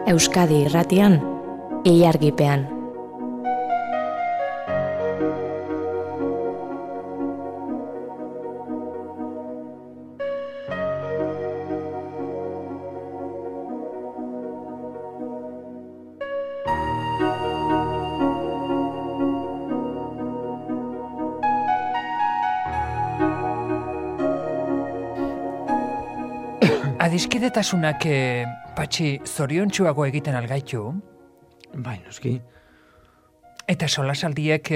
Euskadi Irratian, Ilargipean. Adiskidetasunak patxi zoriontsuago egiten algaitu? Bai, noski. Eta solasaldiek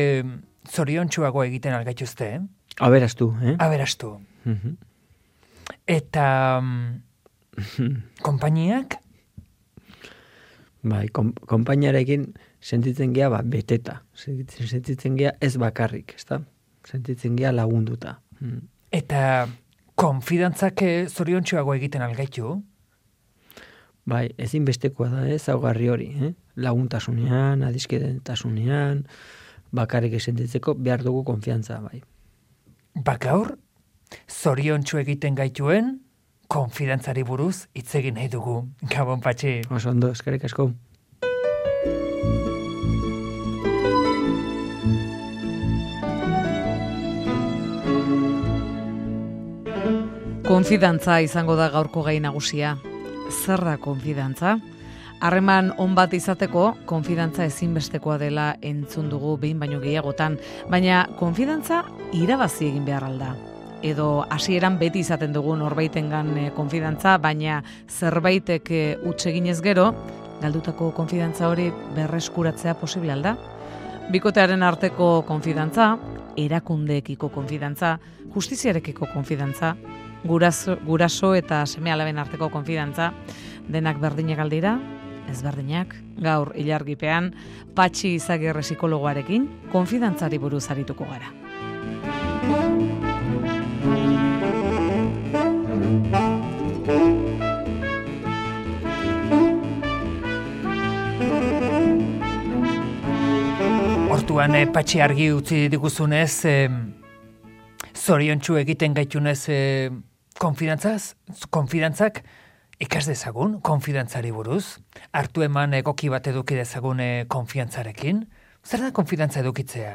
zoriontsuago egiten algaituzte? Aberastu, Aberastu. Eta konpainiak? Bai, konpainiarekin sentitzen gea beteta. Sentitzen gea ez bakarrik, ezta? Sentitzen gea lagunduta. Eta konfidantzak zoriontsuago egiten algaitu? Bai, ezinbestekoa da, ezaugarri hori, laguntasunean, adiskidetasunean, bakarrik sentitzeko behar dugu konfiantza, bai. Gaur, zoriontsu egiten gaituen, konfidantzari buruz hitz egin nahi dugu. Gabon, Patxi. Oso ondo, eskerrik asko. Konfidantza izango da gaurko gai nagusia. Zer da konfidantza? Harreman on bat izateko, konfidantza ezinbestekoa dela entzun dugu behin baino gehiagotan, baina konfidantza irabazi egin behar alda. Edo hasieran beti izaten dugu norbaitengan konfidantza, baina zerbaitek huts eginez gero, galdutako konfidantza hori berreskuratzea posible alda. Bikotearen arteko konfidantza, erakundeekiko konfidantza, justiziarekiko konfidantza, guraso eta seme-alaben arteko konfidantza, denak berdinak aldira, ezberdinak, gaur Ilargipean, Patxi Izagirre psikologoarekin, konfidantzari buruz arituko gara. Hortuan, Patxi argi utzi diguzunez, zoriontsu egiten gaitunez konfidantzak ikas dezagun, konfidantzari buruz, hartu eman egoki bat eduki dezagun konfiantzarekin. Zer da konfidantza edukitzea?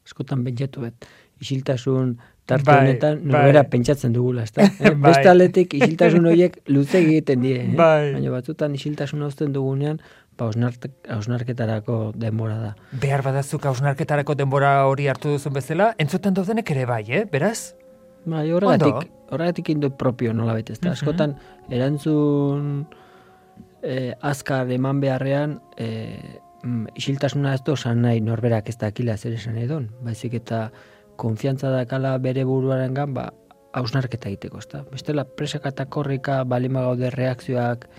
Askotan pentsatu bet, isiltasun tarte honetan norbera pentsatzen dugula, ezta? Beste aldetik isiltasun horiek luze egiten die, baina batzutan isiltasun uzten dugunean, hausnarketarako denbora da. Behar badazuk hausnarketarako denbora hori hartu duzun bezala, entzuten daudenek ere bai, beraz? Bai, horregatik indut propio nola bete, ezta? Askotan, erantzun azkar eman beharrean, isiltasuna ez dozan nahi norberak ez dakila zer esan edon, baizik eta konfiantza dakala bere buruarengan, hausnarketa egiteko, ezta? Bestela, presaka eta korrika balima gaude reakzioak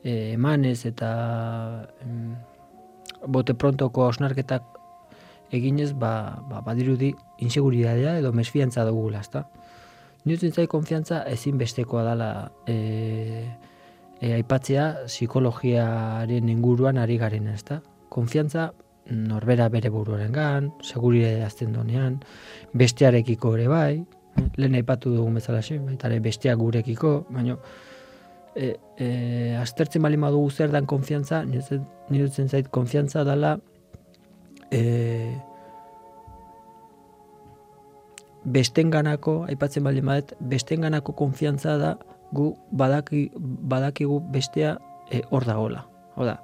emanez eta bote prontoko hausnarketak eginez, badirudi inseguridadea edo mesfiantza dugula, ezta? Niretzen zait konfiantza ezinbestekoa dela aipatzea psikologiaren inguruan ari garen, ezta? Konfiantza norbera bere buruarengan, seguridadea azten donean, bestearekiko ere bai, lehen aipatu dugun bezalaxe, baita ere besteak gurekiko, baina aztertzen bali madugu zer dan konfiantza, niretzen zait konfiantza dela bestenganako, aipatzen bali madet, bestenganako konfiantza da gu badakigu bestea hor dagola. Oda,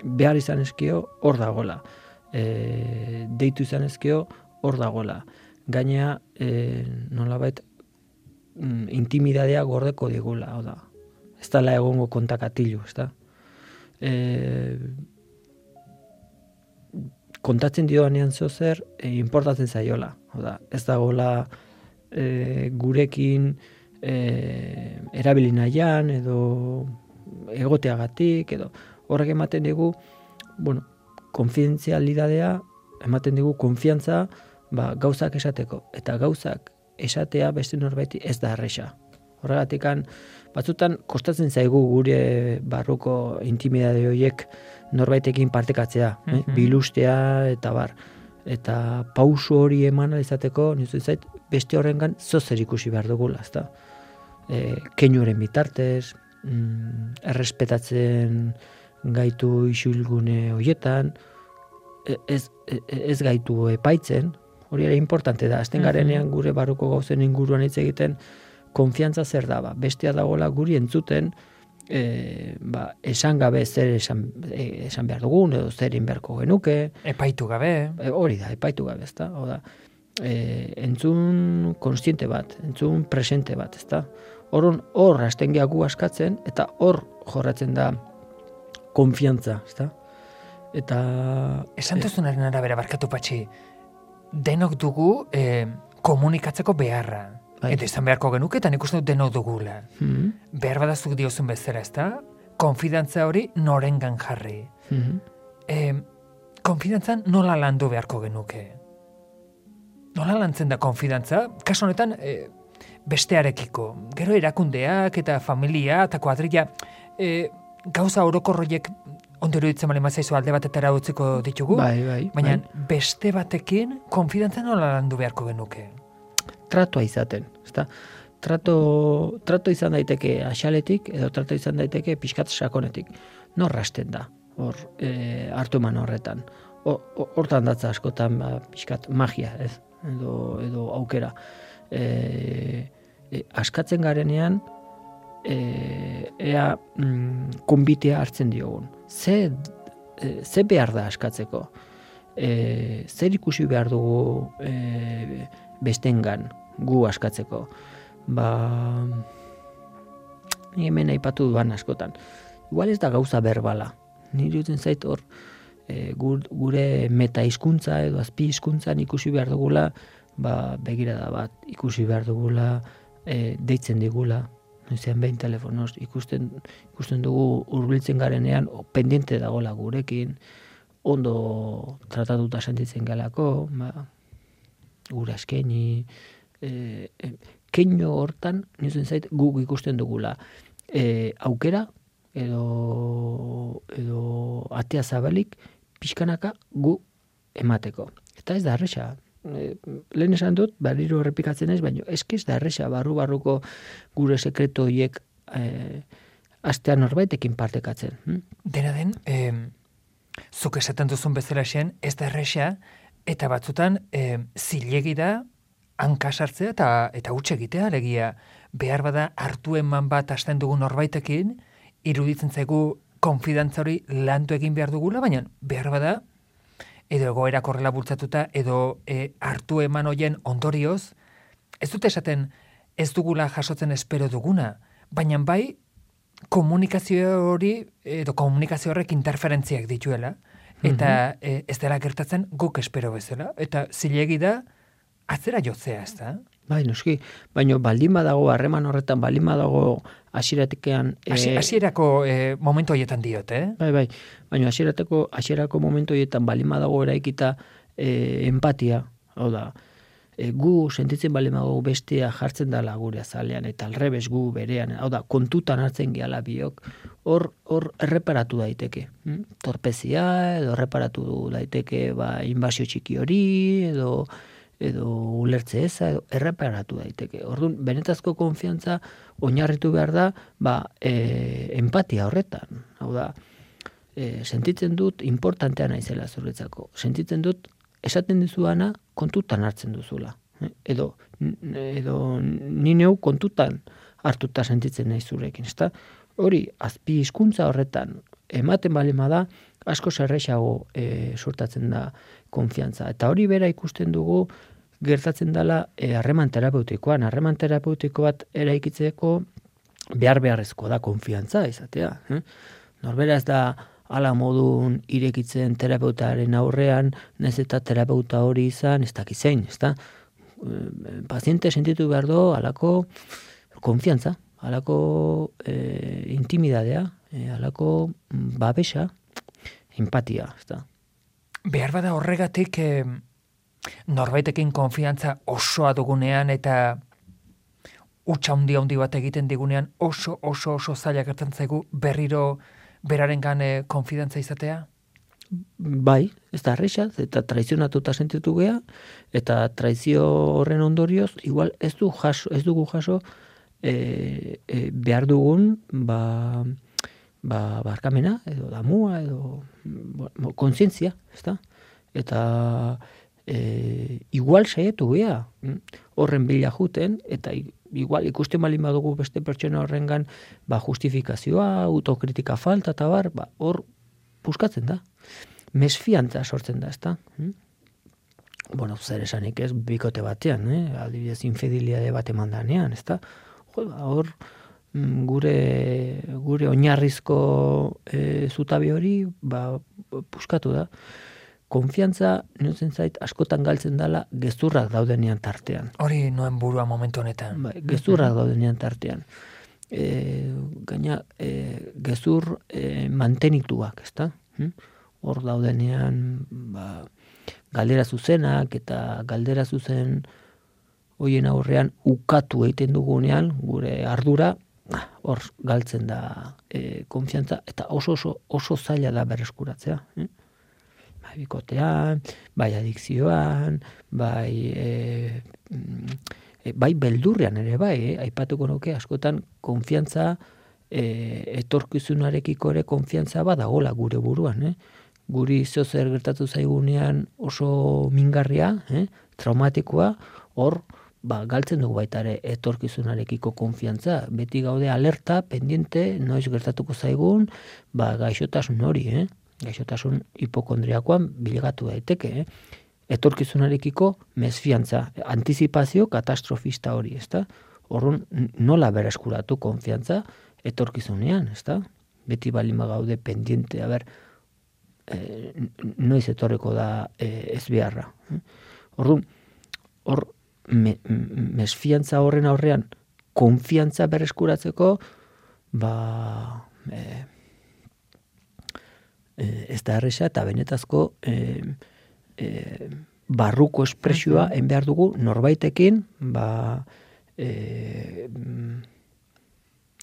behar izan ezkio hor dagola. Deitu izan ezkio hor dagola. Gainea, nolabait, intimidadea gordeko digula, oda. Ez dala egongo kontakatilu, ez da? Kontatzen dioanean zer, importatzen zaiola. Oda, ez dagoela gurekin erabili nahian, edo egoteagatik, edo horrek ematen digu, konfidenzialidadea, ematen digu konfiantza, gauzak esateko. Eta gauzak esatea beste norbaiti ez da erresa. Horregatikan, batzutan kostatzen zaigu gure barruko intimidade horiek norbaitekin partekatzea, bilustea eta bar. eta pauso hori eman izateko, nizu zait, beste horrengan zozer ikusi behar dugula, ezta? Keinuren bitartez, errespetatzen gaitu isilgune horietan, ez gaitu epaitzen, hori ere importante da, azten garenean gure barruko gauzen inguruan hitz egiten, konfiantza zer da, bestea dagoela guri entzuten, esan gabe zer esan behar dugun, edo zer inberko genuke. Epaitu gabe. Hori da, epaitu gabe, ezta? Oda, entzun konstiente bat, entzun presente bat, ezta? Hor hasten gehagu askatzen, eta hor jorratzen da konfiantza, ezta? Eta... Esan duzunaren arabera, barkatu patxi, denok dugu komunikatzeko beharra. Eta izan beharko genuke, eta nik uste dut denok dugula. Behar badazuk diozun bezala, ezta? Konfidantza hori norengan jarri. Konfidantzan nola landu beharko genuke? Nola lantzen da konfidantza? Kasu honetan, bestearekiko. Gero erakundeak eta familia eta kuadrilla gauza orokorroiek ondo iruditzen bali mazaizu alde batetara utziko ditugu. Baina beste batekin konfidantza nola landu beharko genuke? Tratoa izaten, ezta? Trato izan daiteke axaletik, edo trato izan daiteke pixkat sakonetik. Nor rasten da, hor hartu eman horretan. Hortan datza askotan pixkat magia, ez? Edo aukera. Askatzen garenean, ea konbitea hartzen diogun. Ze behar da askatzeko? Zer ikusi behar dugu bestengan gu askatzeko? Hemen aipatu duan askotan. Igual ez da gauza berbala. Nire duten zait hor, gure meta hizkuntza edo azpi hizkuntzan ikusi behar dugula, begirada bat ikusi behar dugula, deitzen digula, noizean behin telefonoz, ikusten dugu hurbiltzen garenean, pendiente dagoela gurekin, ondo tratatuta sentitzen galako, gure askeni, keino hortan, nizen zait, guk ikusten dugula. Aukera, edo atea zabalik, pixkanaka gu emateko. Eta ez da erresa. Lehen esan dut, berriro errepikatzen ez, baina ez da erresa, barruko gure sekreto horiek astean norbaitekin partekatzen. Dena den, zuk esaten duzun bezala zen, ez da erresa, eta batzutan zilegi da hankasartzea eta huts egitea, alegia behar bada hartu eman bat hasten dugun norbaitekin, iruditzen zaigu konfidantza hori landu egin behar dugula, baina behar bada, edo egoera korrela bultzatuta, edo hartu eman hoien ondorioz, ez dut esaten ez dugula jasotzen espero duguna, baina bai komunikazio hori, edo komunikazio horrek interferentziak dituela, eta ez dela gertatzen guk espero bezala, eta zilegi da atzera jotzea, ez da? Bai, noski, baina baldin badago, harreman horretan baldin badago hasieratekean... Hasierako momentu horietan diot, Bai, baina hasierako momentu horietan baldin badago eraikita empatia, hau da, gu sentitzen baldin badago bestea jartzen dala gure azalean, eta alrebes gu berean, hau da, kontutan hartzen gehala biok, hor erreparatu daiteke. Torpezia, edo erreparatu daiteke inbasio txiki hori, edo ulertze eza, edo erreparatu daiteke. Orduan, benetazko konfiantza oinarritu behar da, empatia horretan. Hau da, sentitzen dut importantea naizela zuretzako. Sentitzen dut, esaten dizuana kontutan hartzen duzula. Edo ni neu kontutan hartuta sentitzen naiz zurekin. Ezta? Hori, azpi hizkuntza horretan, ematen balema da, asko zerrexago sortatzen da konfiantza. Eta hori bera ikusten dugu gertatzen dela harreman terapeutikoan. Harreman terapeutiko bat eraikitzeko beharrezko da konfiantza izatea. Norbera ez da ala modun irekitzen terapeutaren aurrean, nez eta terapeuta hori izan, ez dakizein, ez da? Paziente sentitu behar do, alako konfiantza, alako intimidadea, alako babesa, empatia, ez da? Behar bada horregatik norbaitekin konfiantza osoa dugunean eta utxa handi bat egiten digunean oso zaila gertatzen zaigu berriro berarengan konfidantza izatea? bai, ez da erresa, eta traizionatuta sentitu gea, eta traizio horren ondorioz, igual ez dugu jaso behar dugun, barkamena, edo damua, edo kontzientzia, ez da? Eta igual saietu gea, horren bila juten, eta igual ikusten balin badugu beste pertsona horrengan justifikazioa, autokritika falta, eta hor puskatzen da. Mesfiantza sortzen da, ez da? Bueno, zer esanik ez, bikote batean, adibidez infidelitate bat emandanean, ez da? Hor, gure oinarrizko zutabe hori, puskatu da. Konfiantza, niretzen zait, askotan galtzen dela gezurrak daudenean tartean. Hori noen burua momentu honetan. Gezurrak daudenean tartean. Gaina, gezur mantenituak, ez da? Hor daudenean, galdera zuzenak eta galdera zuzen hoien aurrean ukatu egiten dugunean, gure ardura, hor galtzen da konfiantza, eta oso zaila da berreskuratzea. Bikotean, bai adikzioan, bai beldurrean ere bai, aipatuko nuke askotan konfiantza, etorkizunarekiko ere konfiantza badagola gure buruan, Guri zer gertatu zaigunean oso mingarria, traumatikoa, hor galtzen dugu baita ere etorkizunarekiko konfiantza. Beti gaude alerta, pendiente, noiz gertatuko zaigun, gaixotasun hori, gaixotasun hipokondriakoan bilegatu daiteke, etorkizunarekiko mesfiantza, antizipazio katastrofista hori, ezta? Horren nola bereskuratu konfiantza etorkizunean, ezta? Beti balin gaude pendiente, noiz etorriko da ez beharra. Hor mesfiantza horren aurrean konfiantza bereskuratzeko ez da erresa eta benetazko barruko espresioa behar dugu norbaitekin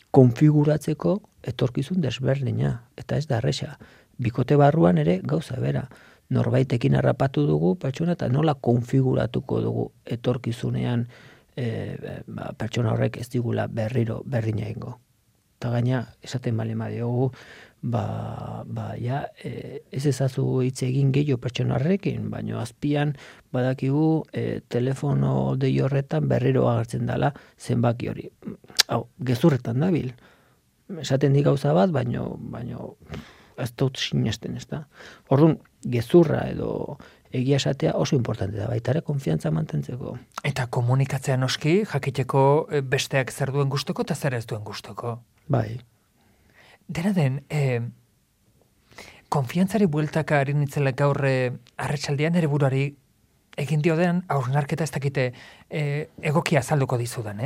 konfiguratzeko etorkizun desberdina, eta ez da erresa. Bikote barruan ere gauza bera. Norbaitekin harrapatu dugu pertsona eta nola konfiguratuko dugu etorkizunean pertsona horrek ez digula berriro berdina egingo. Eta gaina, esaten bale madiogu, ez ezazu hitz egin gehiago pertsona horrekin, baina azpian badakigu telefono dei horretan berriro agertzen dela zenbaki hori. Hau, gezurretan dabil. Esaten di gauza bat, baina ez dut sinesten, ez da. Orduan, gezurra edo egia esatea oso importante da, baita ere konfiantza mantentzeko. Eta komunikatzea noski, jakiteko besteak zer duen gustoko eta zer ez duen gustoko. Bai. Dena den, konfiantzari bueltaka ari nitzela gaur arratsaldean ere buruari egin diodean hausnarketa ez dakite egokia azalduko dizudan,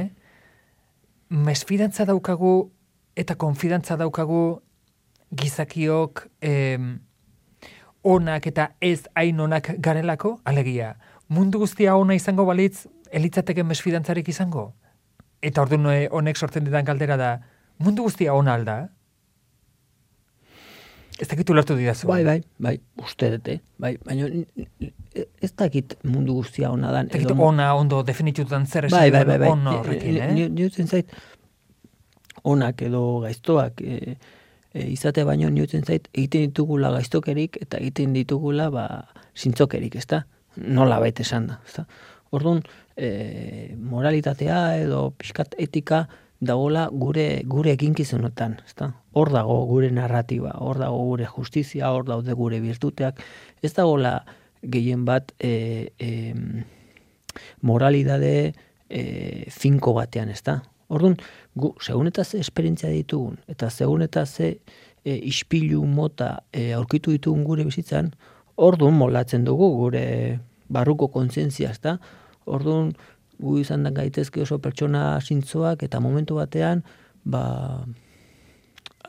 Mesfidantza daukagu eta konfidantza daukagu gizakiok onak eta ez hain onak garelako, alegia, mundu guztia ona izango balitz, elitzateke mesfidantzarik izango? Eta orduan honek sortzen didan galdera da, mundu guztia ona alda? Ez dakit ulertu didazu. Bai, uste dute, baina ez dakit mundu guztia ona dan. Ez dakit ona ondo definitutan zer esan ono horrekin, Niutzen zait, onak edo gaiztoak izatea baino niutzen zait, egiten ditugula gaiztokerik eta egiten ditugula zintzokerik, ez da? Nola baita esan da, ez da? Orduan, moralitatea edo pixkat etika dagoela gure eginkizunetan, ez da? Hor dago gure narratiba, hor dago gure justizia, hor daude gure virtuteak, ez dagoela gehien bat moralidade finko batean, ez da? Orduan, segun eta ze esperientzia ditugun, eta segun eta ze ispilu mota aurkitu ditugun gure bizitzan, orduan moldatzen dugu gure barruko kontzientzia, ezta? Orduan, gu izan da gaitezke oso pertsona zintzoak, eta momentu batean,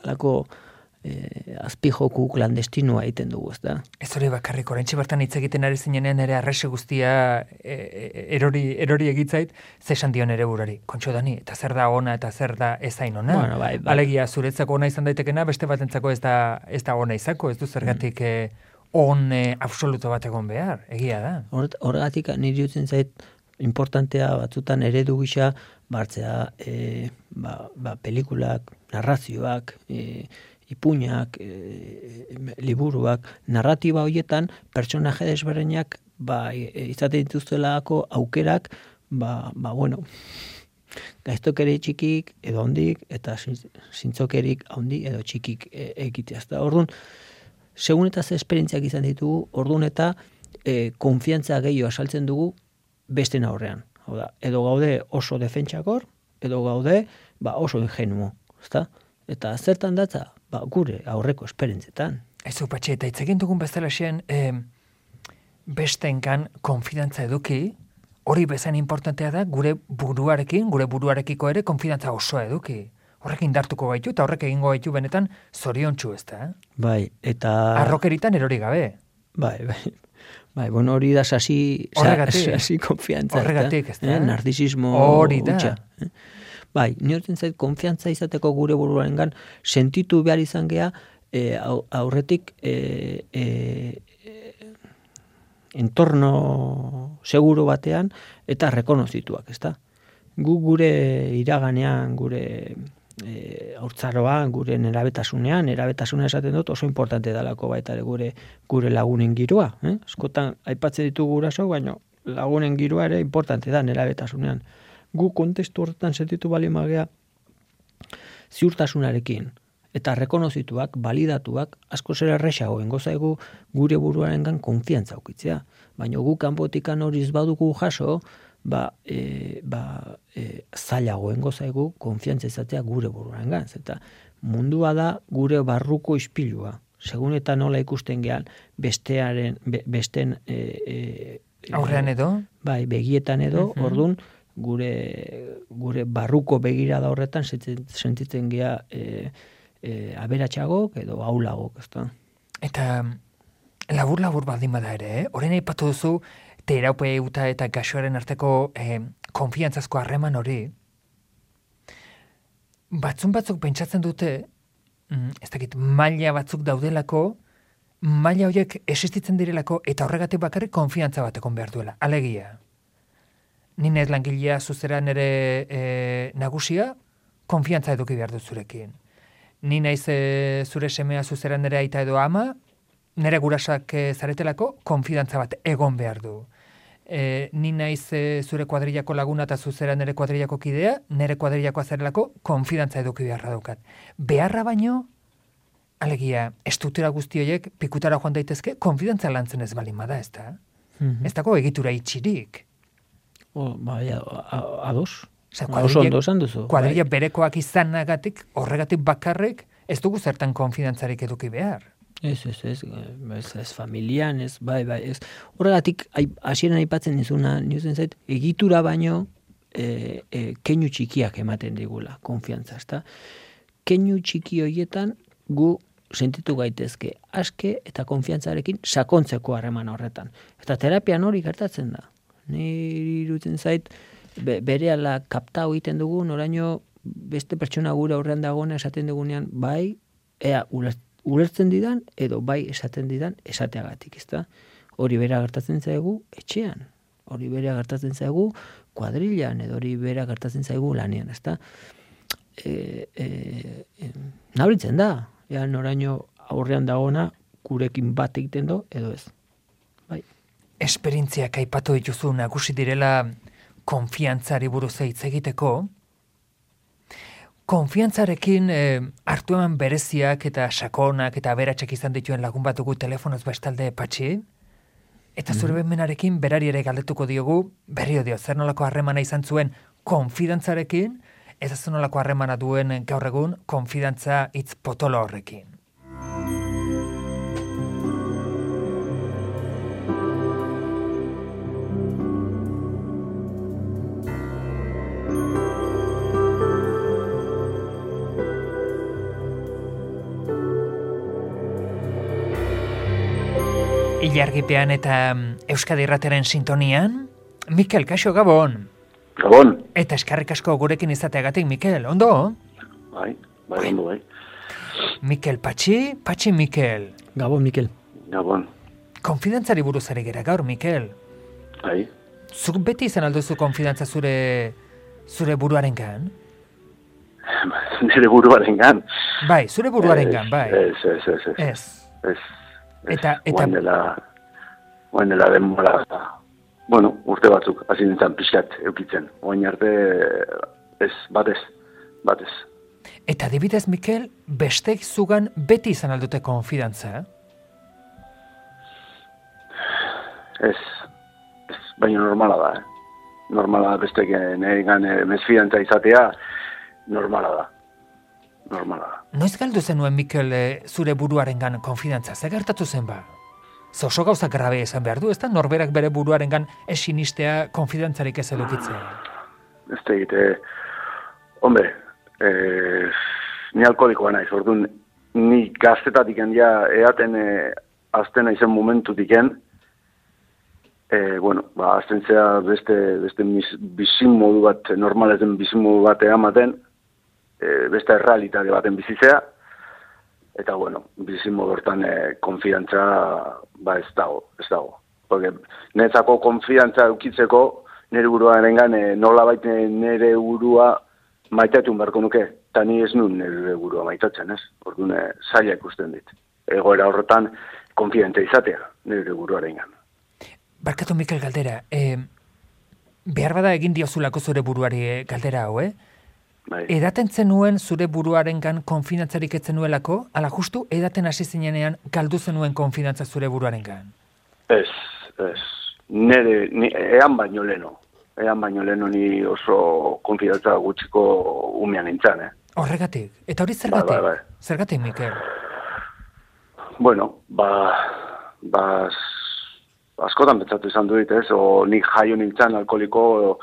alako azpijoku klandestinua egiten dugu, ezta? Ez hori bakarrik, oraintxe bertan hitz egiten ari zinenean ere arrese guztia erori egitzait, zesan dion ere burari. Kontxo Dani, eta zer da ona eta zer da ez hain ona? Bueno, bai. Alegia, zuretzako ona izan daitekena, beste batentzako ez da ona izako, ez du zergatik absoluto bat egon behar, egia da. Horregatik niri dutzen zait importantea batzutan eredu gisa bartzea pelikulak, narrazioak, ipuinak, liburuak, narratiba horietan pertsonaje desberdinak izaten dituztelako aukerak, bueno, gaiztokeri txikik edo hondik eta zintzokerik handi edo txikik egitea. Orduan, segun eta ze esperientziak izan ditugu, orduan eta konfiantza gehiago asaltzen dugu besten aurrean. Hau da, edo gaude oso defentsakor, edo gaude oso ingenuo, ezta? Eta zertan datza, gure aurreko esperientzietan. Ez Patxi, eta itzegin dugun bezala xen, bestenkan konfidantza eduki, hori bezain importantea da gure buruarekiko ere konfidantza osoa eduki. Horrek indartuko gaitu eta horrek egingo gaitu benetan zoriontsu, ezta? Bai, eta... Arrokeritan erori gabe. Bai, bueno, hori da sasi konfiantza. Horregatik, ezta? Narcisismo hori da. Utxa. Bai, nioten zait konfiantza izateko gure buruarengan sentitu behar izan gea aurretik entorno seguro batean eta rekonozituak, ezta? Gu gure iraganean, gure haurtzaroan, gure nerabetasuna esaten dut oso importante dalako baita gure lagunen giroa. Askotan aipatzen ditugu guraso, baina lagunen giroa ere importante da nerabetasunean. Gu kontestu horretan sentitu balimagea ziurtasunarekin eta rekonozituak, balidatuak, asko zer erresago engozaigu gure buruarengan konfiantza ukitzea. Baina gu kanpotikan hori ez badugu jaso, zailago engozaigu konfiantza izatea gure buruarengan. Eta mundua da gure barruko ispilua. Segun eta nola ikusten gehan besten aurrean edo? Bai, begietan edo, orduan gure barruko begirada horretan sentitzen gea aberatxagok edo aulagok, ezta? Eta labur baldin bada ere, orain aipatu duzu terapeuta eta gaixoaren arteko konfiantzazko harreman hori. Batzuk pentsatzen dute, ez dakit, maila batzuk daudelako, maila horiek existitzen direlako eta horregatik bakarrik konfiantza bat egon behar duela. Alegia. Ni naiz langilea zuzera nere nagusia, konfiantza eduki behar dut zurekin. Ni naiz zure semea zuzera nere aita edo ama, nere gurasak zaretelako, konfidantza bat egon behar du. Ni naiz zure kuadrillako laguna eta zuzera nere kuadrillako kidea, nere kuadrillako azarelako, konfidantza eduki beharra daukat. Beharra baino, alegia, estruktura guzti horiek pikutara joan daitezke, konfidantza lantzen ez balin bada, ez da? Ez dago egitura itxirik. Ados. Oso ondo esan duzu. Kuadrilla berekoak izanagatik, horregatik bakarrik, ez dugu zertan konfidantzarik eduki behar. Ez familian, ez. Horregatik, hasieran aipatzen dizuna, niuzen zait, egitura baino keinu txikiak ematen digula, konfiantza, ezta? Keinu txiki horietan gu sentitu gaitezke aske eta konfiantzarekin sakontzeko harreman horretan. Eta terapian hori gertatzen da. Niri irutzen zait, berehala kaptau egiten dugu, noraino beste pertsona gure aurrean dagoena esaten dugunean, bai, ulertzen didan, edo bai esaten didan esateagatik, ezta? Hori bera gertatzen zaigu etxean, hori bera gertatzen zaigu kuadrillan, edo hori bera gertatzen zaigu lanean, ezta? Nabaritzen da, noraino aurrean dagoena gurekin bat egiten do, edo ez. Bai. Esperientziak aipatu dituzu nagusi direla konfiantzari buruz hitz egiteko. Konfiantzarekin hartu eman bereziak eta sakonak eta aberatsak izan dituen lagun bat dugu telefonoz bestalde Patxi. Eta zure bemenarekin berari ere galdetuko diogu, berrio dio, zer nolako harremana izan zuen konfidantzarekin, ez zer nolako harremana duen gaur egun konfidantza hitz potolo horrekin. Ilargipean eta Euskadi Irrateren sintonian, Mikel, kaixo, Gabon. Gabon. Eta eskarrik asko gurekin izateagatik, Mikel, ondo? Bai, ondo, bai. Mikel, Patxi Mikel. Gabon, Mikel. Gabon. konfidantzari buruz ari gera gaur, Mikel. Bai. Zuk beti izan alduzu konfidantza zure buruarengan? Nire buruarengan. Bai, zure buruarengan, bai. Ez. Eta Oain dela denbora, bueno, urte batzuk, hasi nintzen pixkat eukitzen. Oain arte, batez. Eta adibidez, Mikel, bestek zugan beti izan aldute konfidantza? Ez, baina normala da, Normala da bestek neregan mesfidantza izatea, normala da. Noiz galdu zenuen, Mikel, zure buruarengan konfidantza? Zer gertatu zen ba? Oso gauza grabe esan behar du, ez da norberak bere buruarengan esinistea konfidantzarik ez edukitzea? Ez da egite, hombre, ni alkoholikoa naiz, orduan, ni gaztetatik ja eaten aztena izen momentutik bueno, azten zea beste bizin modu bat, normalezen bizin modu bat ematen, beste errealitate baten bizitzea, eta, bueno, bizin modu hortan konfidantza, ez dago. Porque netzako konfidantza eukitzeko, nire buruarengan nolabait nire burua maitatu beharko nuke, eta ni ez nun nire burua maitatzen, ez? Orduan, zaila ikusten dit. Egoera horretan, konfidente izatea, nire buruarengan. Barkatu, Mikel, galdera. Behar bada egin diozulako zure buruari galdera hau, Bai. Edaten zenuen zure buruarengan konfidantzarik ez zenuelako, ala justu edaten hasi zinenean galdu zenuen konfidantza zure buruarengan? Ez. Ean baino leno ni oso konfidantza gutxiko umean nintzen, Horregatik. Eta hori zergatik? Bai. Zergatik, Mikel? Bueno, askotan pentsatu izan duit, o nik jaio nintzen alkoholiko,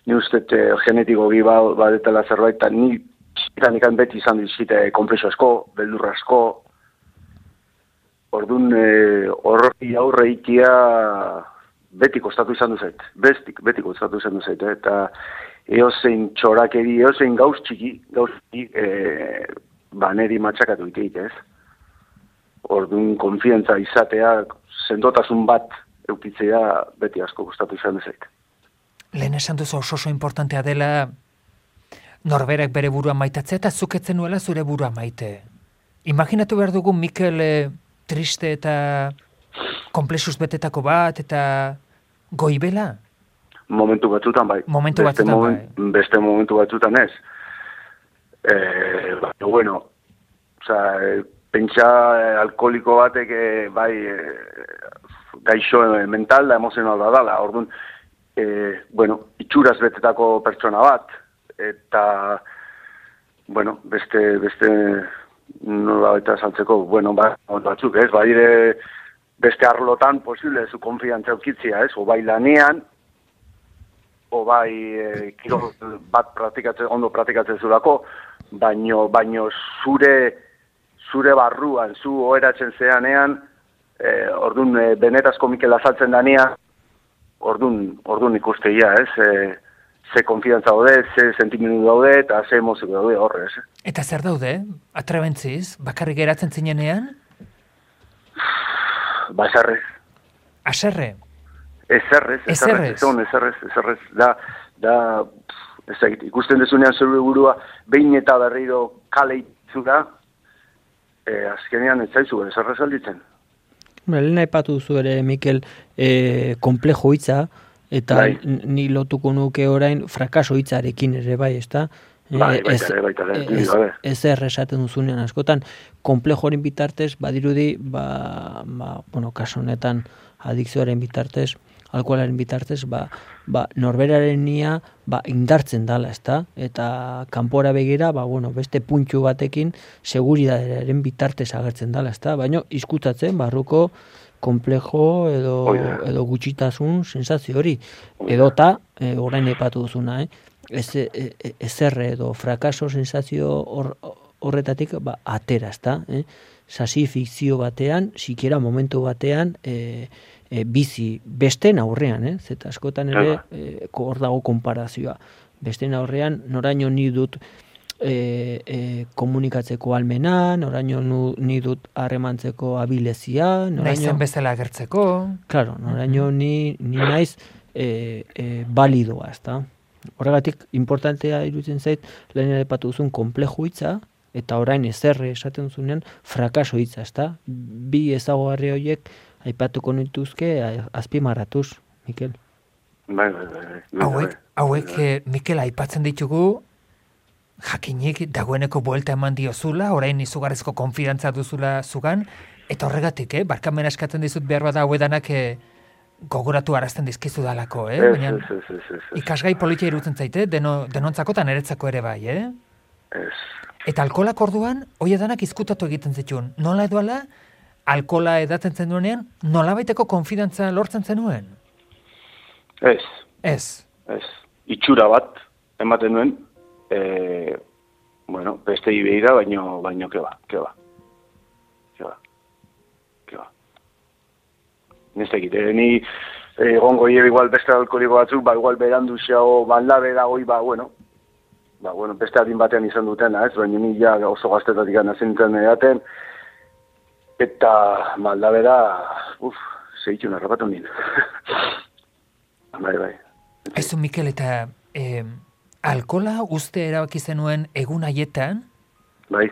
ni uste genetiko badetela zerbait, eta nik beti izan dizkite konplexo asko, beldur asko, orduan horri aurre ikia beti kostatu izan du zait, beti kostatu izan du zait, eta eozein txorakeri, eozein gauz txiki, neri matxakatu ikeit, Orduan konfiantza izatea, sendotasun bat eukitzea beti asko gustatu izan dezait. Lehen esan duzu oso importantea dela norberak bere burua maitatzea eta zuketzen nuela zure burua maite. Imaginatu behar dugu Mikel triste eta komplexuz betetako bat eta goibela? Momentu batzutan bai. Beste momentu batzutan ez. Bueno, pentsa alkoholiko batek bai gaixo mental da emozional da dala. Orduan, itxuraz betetako pertsona bat, eta, beste nola baita saltzeko, batzuk, badire beste arlotan posible zu konfiantza eukitzia, o bai lanean, o bai kirol bat ondo praktikatzen zurako, baino zure barruan, zu oheratzen zeanean, orduan benetazko Mikel azaltzen danean, orduan ikusteia, ze konfidantza daude, ze sentimendu daude, eta ze emozio daude horrez. Eta zer daude? Atrebentziz? Bakarrik geratzen zinenean? Eserrez. Aserre? Eserrez. Da, ikusten dezunean zure burua, behin eta berriro kale itzura, azkenean ez zaizu, eserrez alditzen. Lehen aipatu duzu ere, Mikel, komplejo hitza, eta ni lotuko nuke orain frakaso hitzarekin ere bai, ezta? Baita. Ez esaten duzunean askotan, komplejoaren bitartez, badirudi, kaso honetan adikzioaren bitartez, alkoholaren bitartez, norberaren nia indartzen dala, ezta? Eta kanpora begira, beste puntxu batekin seguridadearen bitartez agertzen dala, ezta? Baina izkutatzen barruko komplejo edo gutxitasun sensazio hori. Edota, orain epatu duzuna, ezerre edo frakaso sensazio horretatik atera, ezta? Sasi fikzio batean, sikiera momentu batean, bizi besten aurrean, zeta askotan ere hor dago konparazioa. Besten aurrean noraino ni dut komunikatzeko almena, noraino ni dut harremantzeko abilezia, Naizen bezala agertzeko. Claro, noraino ni naiz balidoa, ezta? Horregatik, importantea iruditzen zait, lehen aipatu duzun konpleju hitza, eta orain ezerre esaten duzunean, frakaso hitza, ezta? Bi ezaugarri horiek aipatuko nituzke azpimarratuz, Mikel. Bai. Hauek, Mikel, aipatzen ditugu, jakinik dagoeneko buelta eman diozula, orain izugarrizko konfidantza duzula zugan, eta horregatik, barkamena eskatzen dizut behar bada hauedanak gogoratu arazten dizkizu dalako, baina ikasgai politia irutzen zaite, denontzako eta niretzako ere bai, Eta alkolak orduan, hoiedanak izkutatu egiten zituen. Nola edoala, alkola edatzen zenuenean, nola baiteko konfidantza lortzen zenuen? Ez. Itxura bat, ematen nuen, beste ibeira, baino keba. Nestekit, ni egongo igual beste alkoliko batzuk, igual berandu xeo, maldabe da hoi, beste adin batean izan dutena, baina ni ja oso gaztetatik anazintzen edaten, eta maldabe da, zehitxun arrapatu nien. Bai. Aizu, Mikel, eta alkola uste erabaki zenuen egun haietan? Bai.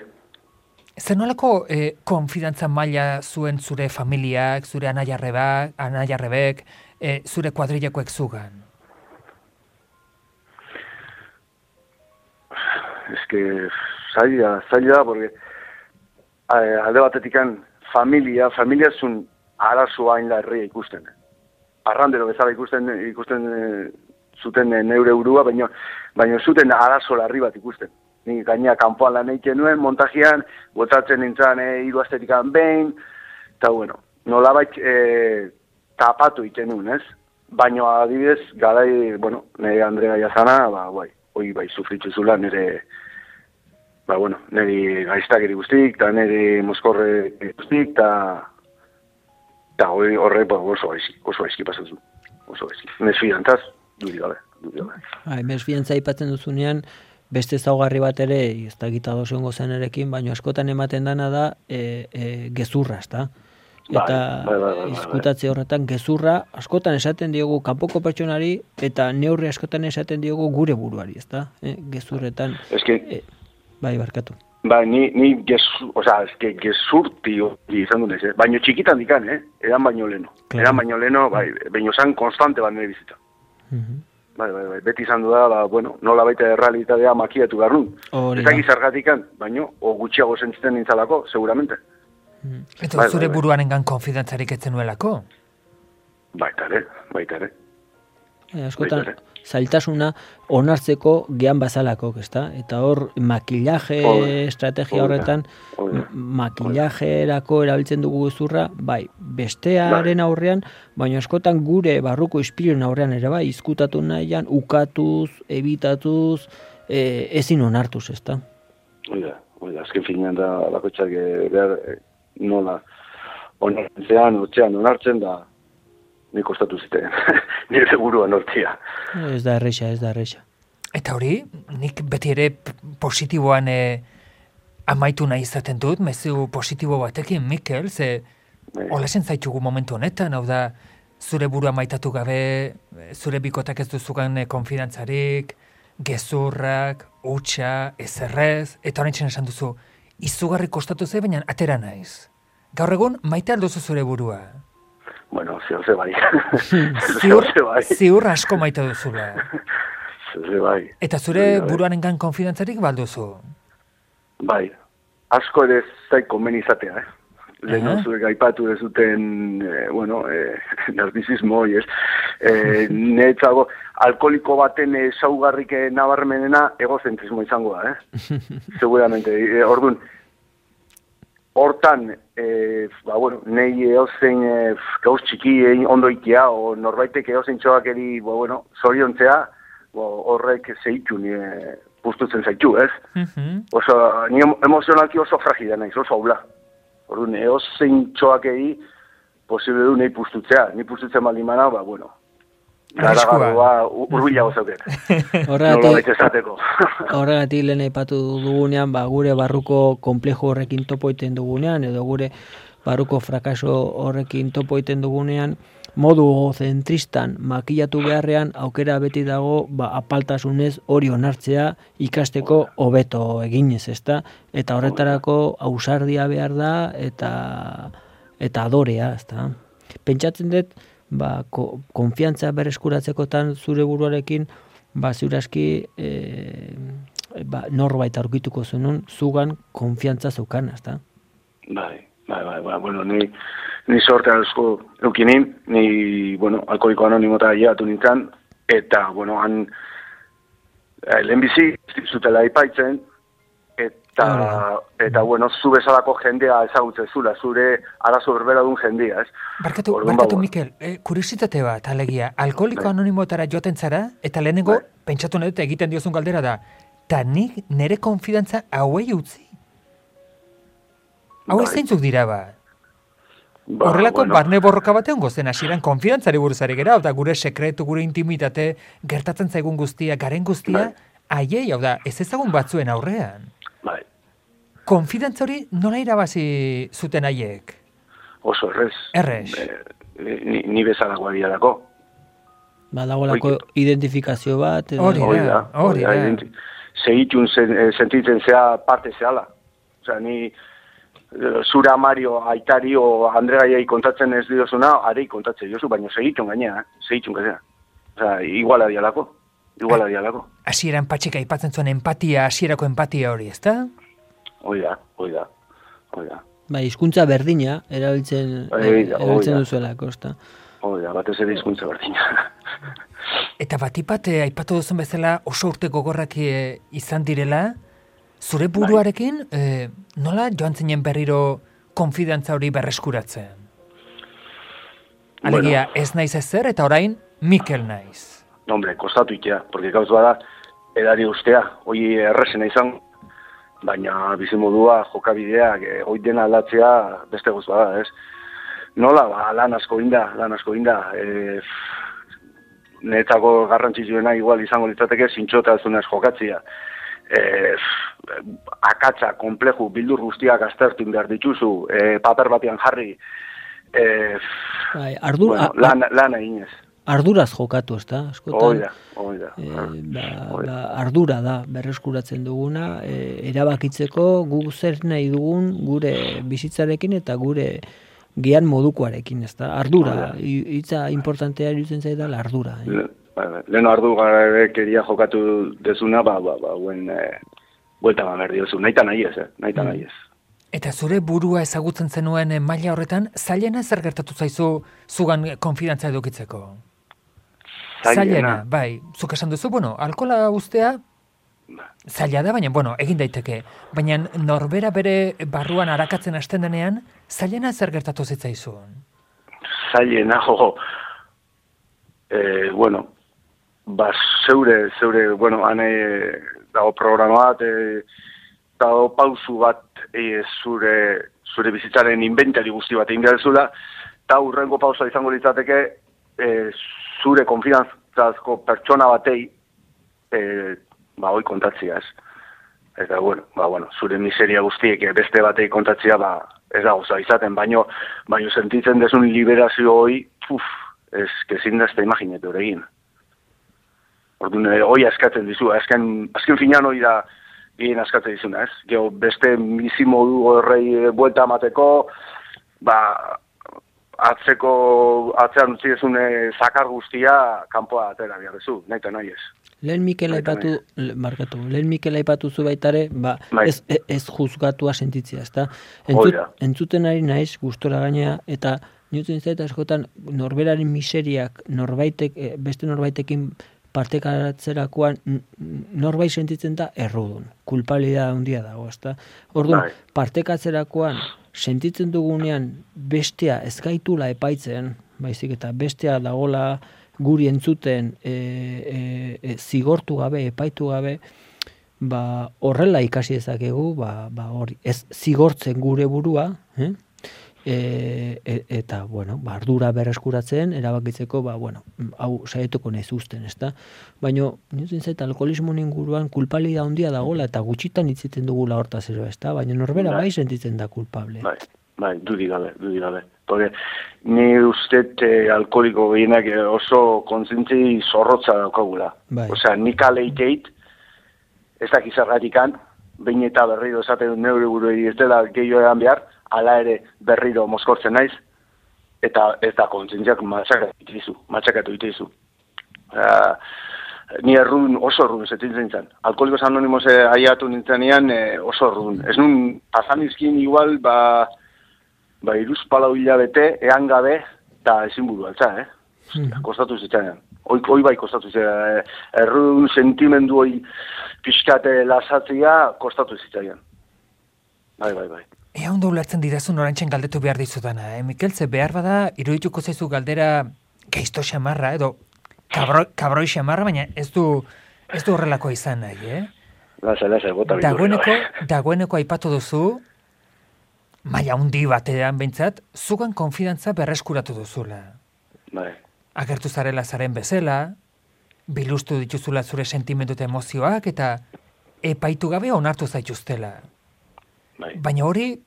Zer nolako konfidantza maila zuen zure familiak, zure anaiarrebek, zure kuadrillakoek zugan? Zaila, porque alde batetikan familia zun arazoa hain larria ikusten. Arrandero bezala ikusten zuten neure burua, baina zuten arazo larri bat ikusten. Ni gaina kanpoan lan egiten nuen, montajian, botatzen nintzen 3 astetikan behin, eta nolabait tapatu egiten nuen, ez? Baina adibidez, garai, nire Andrea Jazana, hoi sufritzu zula nire gaiztakeri guztik, eta nire mozkorre guztik, eta horre oso gaizki pasatzen. Oso gaizki. Mesfidantzaz, duri gabe. Mesfidantza aipatzen duzunean, beste ezaugarri bat ere, ez da gita doziongo zenerekin, baina askotan ematen dana da gezurra, ezta? Eta izkutatze horretan gezurra askotan esaten diogu kanpoko pertsonari eta neurri askotan esaten diogu gure buruari, ezta? Gezurretan. Bai, barkatu. Ni gezurti izan dut ez, baina txikitan dikan, edan baino leno. Edan baino leno, baino zan konstante bat nire bizita. Bai, beti izan du da, nola baita errealitatea makiatu behar nun. Ez dakiz zergatikan, baino, gutxiago sentitzen nintzalako, seguramente. Eta zure buruanengan konfidantzarik etzen nuelako? Baita ere. Askotan, zailtasuna onartzeko gehan bazalako, ezta? Eta hor, makillaje estrategia horretan, makillajerako erabiltzen dugu gezurra, bestearen aurrean, baina askotan gure barruko ispiluren aurrean ere izkutatu nahian, ukatuz, ebitatuz, ezin onartuz, ezta? Oida, azken finean da bakotxak behar nola onartzean, onartzen da, nik kostatu ziten, nire seguruan hortia. Ez da erresa. Eta hori, nik beti ere positiboan amaitu nahi izaten dut, mezu positibo batekin, Mikel, ze olasen zaitugu momentu honetan, hau da, zure burua maitatu gabe, zure bikotak ez duzugan konfidantzarik, gezurrak, hutsa, ezerrez, eta horretzen esan duzu, izugarri kostatu ze, baina atera naiz. Gaur egun, maite alduzu zure burua? Zehose bai. Ziur asko maite duzula. Zehose bai. Eta zure buruanengan konfidantzarik balduzu? Bai. Asko ere zaik konben izatea, Lehen zuek aipatu dezuten, narcisismo, netzago, alkoholiko baten saugarrik nabarmenena egozentrismo izango da, seguramente. Orduan, hortan, nahi eozein gauz txiki ondo ikia, o norbaitek eozein txoak eri, zoriontzea, horrek zeitu pustutzen zaitu, ez? Oso, ni emozionalki oso fragila naiz, oso haula. Orduan, eozein txoak eri, posible du nahi pustutzea. Ni pustutzen baldimana, Garagarroa urbilago zauket. Horregatik lehen aipatu dugunean, gure barruko konplejo horrekin topo iten dugunean, edo gure barruko frakaso horrekin topo iten dugunean, modu zentristan makillatu beharrean, aukera beti dago apaltasunez hori onartzea ikasteko hobeto eginez, ezta? Eta horretarako ausardia behar da eta adorea, ezta? Pentsatzen dut, konfiantza berreskuratzekotan zure buruarekin, ziur aski norbait aurkituko zenun, zugan konfiantza zeukan, ezta? Bai, bueno, ni sorte asko eukinin, ni, bueno, alkoholiko anonimota llegatu nintzen, eta, bueno, han lehenbizi zutela ipaitzen, eta bueno, zu bezalako jendea ezagutzen zula, zure arazo berbera duen jendea, ez? Barkatu, Mikel, kuriositate bat, alegia, alkoholiko anonimotara joaten zara, eta lehenengo, pentsatu nahi egiten diozun galdera da, eta nik nire konfidantza hauei utzi? Hau zeintzuk dira ba? Horrelako barne borroka batean gozen, hasieran konfidantzari buruzari gera, eta gure sekretu, gure intimitate, gertatzen zaigun guztia, garen guztia, haiei, hau da, ez ezagun batzuen aurrean. Bai. Konfidantza hori nola irabazi zuten haiek? Oso errez. Errez. Ni bezalagoa dialako. Badagolako identifikazio bat. Hori da. Segitun sentitzen zea parte zehala. Osea, ni zura Mario aitari o Andre Gaiai kontatzen ez diozuna, arei kontatzen diozu, baina segitun gainea, segitun gainea. Osea, iguala dialako. Hasieran Patxika aipatzen zuen empatia, hasierako empatia hori, ezta? Hoi da. Hizkuntza berdina erabiltzen duzuelako, ezta? Hoi da, batez ere hizkuntza berdina. Eta batipat aipatu duzun bezala oso urte gogorrak izan direla, zure buruarekin nola joan zinen berriro konfidantza hori berreskuratzen? Alegia, ez naiz ezer eta orain Mikel naiz. No, hombre, kostatu itea, porque gauz bada edari ustea, hoi errezena izan, baina bizimodua, jokabideak, hoi dena aldatzea beste gauz bada, ez? Nola, lan asko inda, niretzako garrantzitsuena igual izango litzateke zintxotasunez jokatzea. Akatza, konpleju, bildur guztiak aztertu behar dituzu, paper batean jarri, lan eginez. Arduraz jokatu, ezta? Hoi da. Ardura da, berreskuratzen duguna, erabakitzeko guk zer nahi dugun gure bizitzarekin eta gure gian modukoarekin, ezta? Ardura, hitza importantea iruditzen zaidala ardura. Leno ardugabekeria jokatu dezuna, guen buelta behar diozu, nahi ez. Eta zure burua ezagutzen zenuen maila horretan, zailena zer gertatu zaizu zugan konfidantza edukitzeko? Zailena, bai. Zuk esan duzu, alkohola ustea zaila da, baina, egin daiteke. Baina norbera bere barruan arakatzen hasten denean, zailena zer gertatu zitzaizun? Zailena, zeure, hane dago programa bat, dago pausu bat zure bizitzaren inventari guzti bat egin behar zula, eta hurrengo pausa izango litzateke zure konfidantzazko pertsona batei hoi kontatzia, ez. Eta, zure miseria guztiek beste batei kontatzia, ez da goza izaten, baino sentitzen desun liberazio hoi, ez kezin da ez da imaginetu egin. Orduan, hoi askatzen dizu, azken finan hoi da gehien askatzen dizuna, ez. Gero, beste bizimodu horrei buelta amateko, atzean utzi dezune zakar guztia kanpoa atera behar dezu, nahi eta nahi ez. Lehen Mikel aipatu zu baitare, ez juzgatua sentitzea, ezta? Entzuten ari naiz, gustora gainea, eta niutzen zaita askotan norberaren miseriak beste norbaitekin partekatzerakoan norbait sentitzen da errudun, kulpabilidad handia dago, ezta? Orduan, partekatzerakoan sentitzen dugunean bestea ez gaitula epaitzen, baizik eta bestea dagola guri entzuten zigortu gabe, epaitu gabe, horrela ikasi dezakegu, hori, ez zigortzen gure burua, eta, bueno, ardura berreskuratzen, erabakitzeko, hau saietuko nahi zuzten, ezta? Baina, nintzen zait, alkoholismo inguruan kulpabilidad handia dagoela, eta gutxitan hitziten dugula hortaz ero, ezta? Baina norbera bai sentitzen da kulpable. Bai, dudik gabe. Porque ni usted alkoholiko gehienak oso kontzintzi zorrotza daukagula. Bai. Osea, nik aleiteit, ez dakiz zergatikan, behin eta berriro esaten neure burui ez dela gehiago egan behar, ala ere berriro mozkortzen naiz, eta ez da kontzintziak matxakatu itizu. Ni oso errun zetintzen zen. Alkoholikos Anonimos aiatu nintzenean oso errun. Ez nun pasanizkin igual, iruz palau hilabete, ean gabe, eta ezin buru altza, Kostatu zitzainan. Hoi bai kostatu zitzainan. Errun sentimendu hoi pixkate lasatzea kostatu zitzainan. Bai. Ea ondo ulertzen didazun orantzen galdetu behar dizudana, Mikel, ze behar bada, irudituko zaizu galdera geizto xamarra, edo kabroi xamarra, baina ez du horrelako izan nahi, Lasa, bota Dagoeneko aipatu duzu, maila handi batean behintzat, zugan konfidantza berreskuratu duzula. Bai. Agertu zarela zaren bezala, biluztu dituzula zure sentimendu eta emozioak, eta epaitu gabe onartu zaituztela. Bai. Baina hori,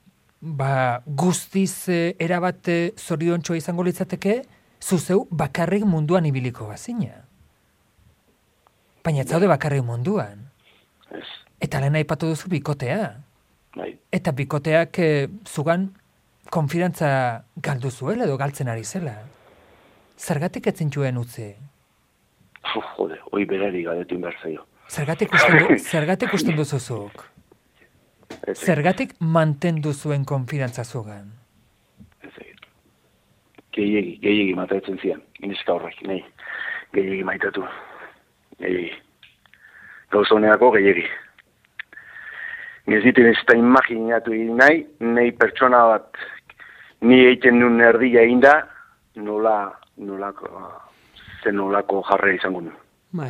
guztiz erabat zoriontxoa izango litzateke, zuzeu bakarrik munduan ibiliko bazina. Baina ez zaude bakarrik munduan. Ez. Eta lehen aipatu duzu bikotea. Bai. Eta bikoteak zugan konfidantza galdu zuela edo galtzen ari zela. Zergatik ez zintuen utzi? Jode, hoi berari galdetu behar zaio. Zergatik usten duzuzuk? Zergatik mantendu zuen konfidantza zugan? Ez egin. Gehiegi matatzen zian. Ineska horrek, nahi. Gehiegi maitatu. Gehiegi. Gauzoneako gehiegi. Ez ditu ez da imaginatu nahi pertsona bat ni egiten nuen erdia inda, nolako jarre izango nuen.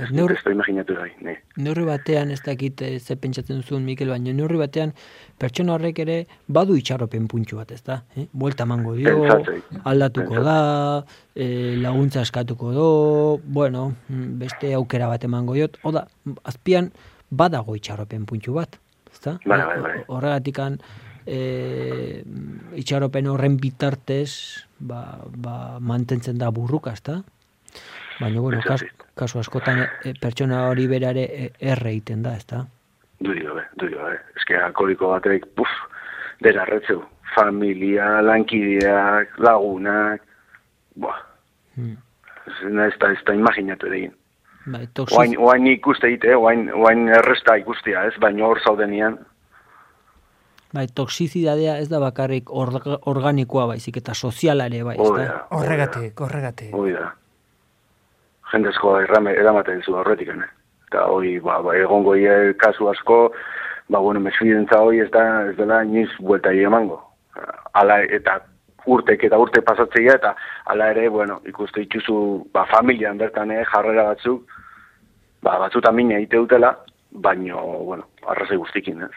Ez da imaginatu nahi. Neurri batean ez dakit ze pentsatzen zuen, Mikel, baina neurri batean pertsona horrek ere badu itxaropen puntxu bat, ez da? Buelta emango dio, aldatuko da, laguntza eskatuko do, beste aukera bat emango diot, oda, azpian badago itxaropen puntxu bat. Bai. Horregatikan itxaropen horren bitartez mantentzen da burruka, ezta? Baina, kasu askotan pertsona hori berare erre egiten da, ezta? Duri gabe. Eske alkoholiko batek, derarretzeu. Familia, lankideak, lagunak, ez da imaginatu egin. Oain ikuste egite, oain erresta ikustia, ez, baina hor zaudenian. Toxizidadea ez da bakarrik organikoa baizik eta soziala ere bai, ez da? Horregatik. Hoi da. Jendezkoa eramaten zu horretik, Eta hoi, egongo kasu asko, mesfidentza hoi ez dela iniz buelta emango. Ala, eta urte pasatzea, eta ala ere, ikuste dituzu, familian bertan jarrera batzuk, batzutan mina egite dutela, baino, arrazai guztikin, ez?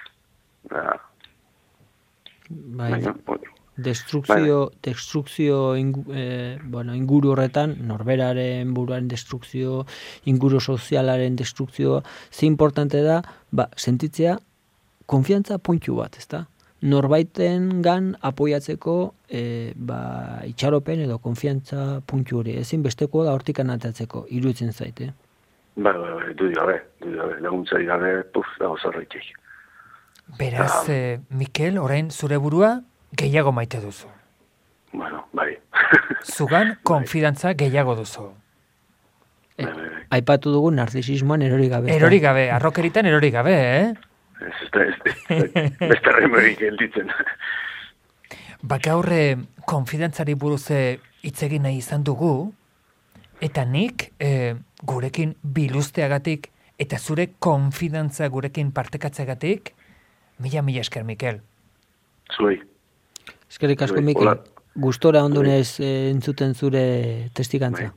Destrukzio inguru horretan, norberaren buruaren destrukzio, inguru sozialaren destrukzio, ze importante da, sentitzea konfiantza puntu bat, ezta? Norbaiten gan apoiatzeko itxaropen edo konfiantza puntu hori. Ezin besteko da hortikan atatzeko, iruditzen zaite. Dudi gabe, laguntzari gabe, dago zerreitek. Beraz, Mikel, orain zure burua gehiago maite duzu. Bai. Zugan konfidantza gehiago duzu. Aipatu dugu narzisismoan erori gabe. Erori gabe, arrokeritan erori gabe, Beste remerik gelditzen. Gaur konfidantzari buruz hitz egin nahi izan dugu, eta nik gurekin biluzteagatik eta zure konfidantza gurekin partekatzeagatik, mila esker, Mikel. Zuei. Eskerrik asko, Mikel. Gustora ondunez entzuten zure testigantza.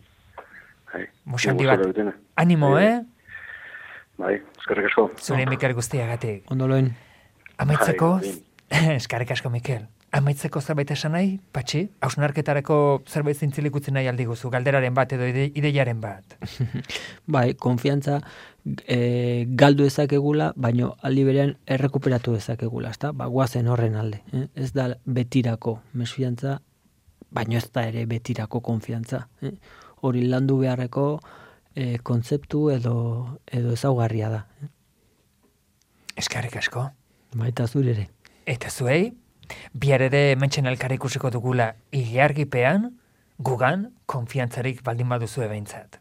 Musandi bat. Animo, Bai, eskerrik asko. Zure Mikel guztiagatik. Ondoloen. Amaitzeko, eskerrik asko, Mikel. Amaitzeko zerbait esan nahi, Patxi? Hausnarketarako zerbait zintzilik utzi nahi aldi guzu, galderaren bat edo ideiaren bat. Bai, konfiantza galdu ezakegula, baino aldi berean errekuperatu ezakegula, ezta? Ba, guazen horren alde. Ez da betirako mesfidantza, baino ez da ere betirako konfiantza. Hori landu beharreko kontzeptu edo ezaugarria da. Eskerrik asko. Baita zure ere. Eta zuei, bihar ere hementxen elkar ikusiko dugula ilargipean, gugan konfiantzarik baldin baduzu behintzat.